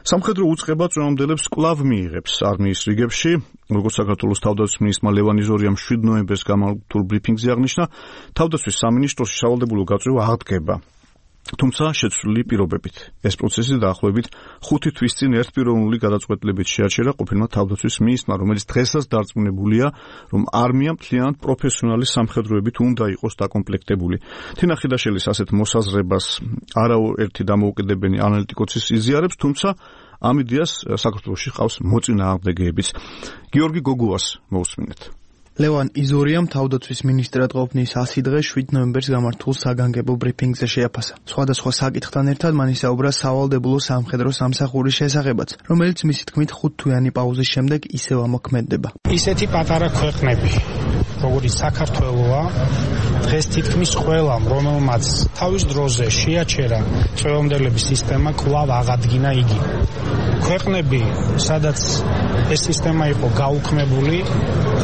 სამხედრო უწყება წინააღმდეგებს კვლავ მიიღებს არმიის რიგებში, როგორც საქართველოს თავდაცვის მინისტრმა ლევან იზორიამ 7 ნოემბერს გამართულ ბრიფინგზე აღნიშნა, თავდაცვის სამინისტროში სავალდებულო გაწვევა აღდგება. თუმცა შეცვლილი პირობებით. ეს პროცესი დაახლოებით 5 თვის წინ ერთპიროვნული გადაწყვეტილებით შეაჩერა ყოფილმა თავდაცვის მინისტრმა, რომელიც დღესაც დარწმუნებულია, რომ არმია მთლიანად პროფესიონალი სამხედროებით უნდა იყოს დაკომპლექტებული. თინა ხიდაშელის ასეთ მოსაზრებას არაერთი დამოუკიდებელი ანალიტიკოსის იზიარებს, თუმცა ამ იდეას საქართველოში ყავს მოწინააღმდეგეებიც. გიორგი გოგუას მოусმინეთ. ლევან იზორიამ თავდაცვის მინისტრად ყოფნის 100 დღე 7 ნოემბერს გამართულ საგანგებო ბრიფინგზე შეაფასა. სხვადასხვა საკითხთან ერთად მან ისაუბრა სავალდებულო სამხედრო სამსახურის შესახებაც, რომელიც მისი თქმით 5 თვიანი პაუზის შემდეგ ისევ ამოქმედდება. ისეთი პატარა ქვეყნები, როგორიც საქართველოა, დღეს თითქმის ყველამ, რომელმაც თავის დროზე შეაჩერა წვევამდელების სისტემა, კვლავ აღადგინა იგი. ქვეყნები, სადაც ეს სისტემა იყო გაუქმებული,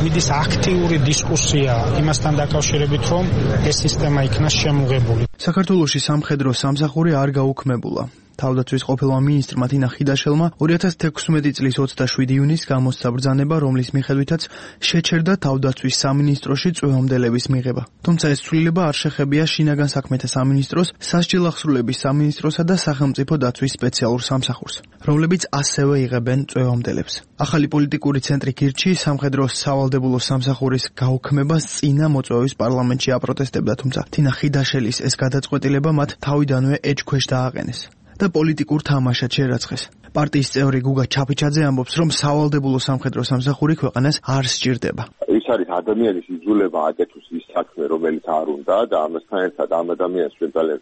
მიდის აქტიური დისკუსია იმასთან დაკავშირებით, რომ ეს სისტემა იქნა შემოღებული. საქართველოში სამხედრო სამსახური არ გაუქმებულა. თავდაცვის ყოფილმა მინისტრმა თინა ხიდაშელმა 2016 წლის 27 ივნისს გამოსცა ბრძანება, რომლის მიხედვითაც შეჩერდა თავდაცვის სამინისტროში წვევამდელების მიღება. თუმცა ეს ცვლილება არ შეხებია შინაგან საქმეთა სამინისტროს, სასჯელ ახსრულების სამინისტროსა და სახელმწიფო დაცვის სპეციალურ სამსახურს, რომლებიც ასევე იღებენ წვევამდელებს. ახალი პოლიტიკური ცენტრი გირჩი სამხედრო სავალდებულო სამსახურის გაუქმებას წინა მოწვევის პარლამენტში აპროტესტებდა, თუმცა თინა ხიდაშელის ეს გადაწყვეტილება მათ თავიდანვე ეჭქვეშ დააყენეს და პოლიტიკურ თამაშად შერაცხეს. პარტიის წევრი გუგა ჩაფიჩაძე ამბობს, რომ სავალდებულო სამხედრო სამსახური ქვეყანას არ სჭირდება. ის არის ადამიანის იძულება აკეთოს ის საქმე, რომელიც არ უნდა და ამასთან ერთად ამ ადამიანს ჩვენ ძალიან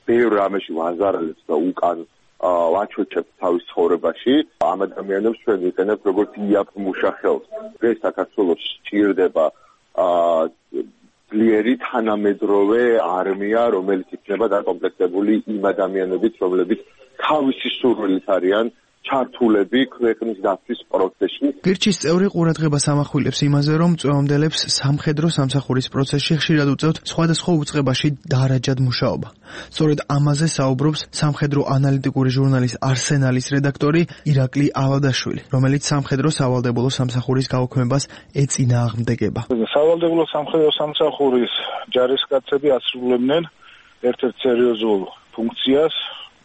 ბევრ რამეში ვაზარალებს და უკან ვაჩვენებთ თავის ცხოვრებაში. ამ ადამიანებს ჩვენ ვიყენებთ როგორც იაპ მუშახელს. დღეს საქართველოს სჭირდება ძლიერი თანამედროვე არმია, რომელიც იქნება დაკომპლექტებული იმ ადამიანებით, რომლებიც თავისი სურვილით არიან ჩართულები ქვეყნის დაცვის პროცესში. გირჩის წევრი ყურადღებას ამახვილებს იმაზე, რომ წვევამდელებს სამხედრო სამსახურის პროცესში ხშირად უწევთ სხვადასხვა უწყებაში დარაჯად მუშაობა. სწორედ ამაზე საუბრობს სამხედრო ანალიტიკური ჟურნალის არსენალის რედაქტორი ირაკლი ალადაშვილი, რომელიც სამხედრო სავალდებულო სამსახურის გაუქმებას ეწინააღმდეგება. სავალდებულო სამხედრო სამსახურის ჯარისკაცები ასრულებდნენ ერთ-ერთ სერიოზულ ფუნქციას,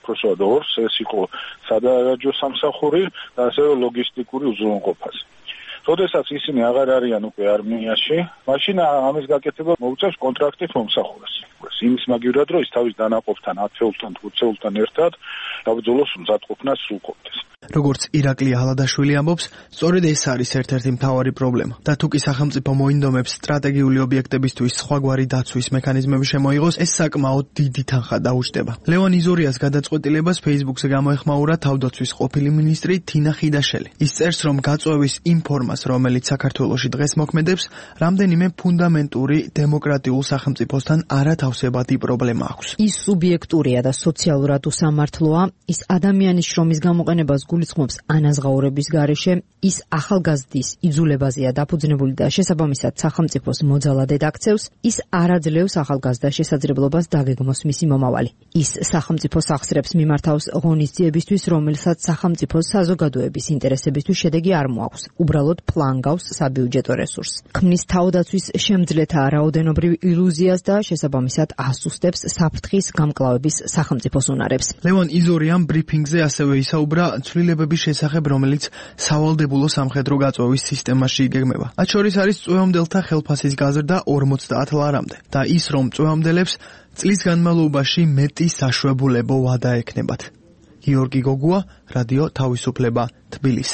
უბრალოდ ორს, ეს იყო სადარაჯო სამსახური და ასევე ლოგისტიკური უზრუნველყოფას. როდესაც ისინი აღარ არიან უკვე არმიაში, მაშინ ამის გაკეთება მოუწევს კონტრაქტით მომსახურეს. იმის მაგივრად, რომ ის თავის დანაყოფთან, ათეულთან, 20-ულთან ერთად საბრძოლო მზადყოფნას სრულყოფდეს. როგორც ირაკლი ალადაშვილი ამბობს, სწორედ ეს არის ერთ-ერთი მთავარი პრობლემა. და თუ კი სახელმწიფო მოინდომებს სტრატეგიული ობიექტებისთვის სხვაგვარი დაცვის მექანიზმები შემოიღოს, ეს საკმაოდ დიდი თანხა დაუჯდება. ლევან იზორიას გადაწყვეტილებას Facebook-ზე გამოეხმაურა თავდაცვის ყოფილი მინისტრი თინა ხიდაშელი. ის წერს, რომ გაწვევის იმ ფორმას, რომელიც საქართველოში დღეს მოქმედებს, რამდენიმე ფუნდამენტური დემოკრატიულ სახელმწიფოსთან არათავსებადი პრობლემა აქვს. ის სუბიექტურია და სოციალურად უსამართლოა, ის ადამიანის შრომის გამოყენებას გულისხმობს ანაზღაურების გარეშე, ის ახალგაზრდის იძულებაზეა დაფუძნებული და შესაბამისად სახელმწიფოს მოძალადედ აქცევს, ის არ აძლევს ახალგაზრდას შესაძლებლობას დაგეგმოს მისი მომავალი. ის სახელმწიფოს ახსრებს მიმართავს ღონისძიებისთვის, რომელსაც სახელმწიფოს საზოგადოების ინტერესებისთვის შედეგი არ მოაქვს. უბრალოდ ფლანგავს საბიუჯეტო რესურსს. ქმნის თავდაცვის შემძლეთა რაოდენობრივ ილუზიას და შესაბამისად ასუსტებს საფრთხის გამკლავების სახელმწიფოს უნარებს. ლევან იზორიამ ბრიფინგზე ასევე ისაუბრა ცვლილებების შესახებ, რომელიც სავალდებულო სამხედრო გაწვევის სისტემაში იგეგმება. მათ შორის არის წვევამდელთა ხელფასის გაზრდა 50 ლარამდე და ის, რომ წვევამდელებს წლის განმავლობაში მეტი საშუალებო ვადა ექნებათ. გიორგი გოგუა, რადიო თავისუფლება, თბილისი.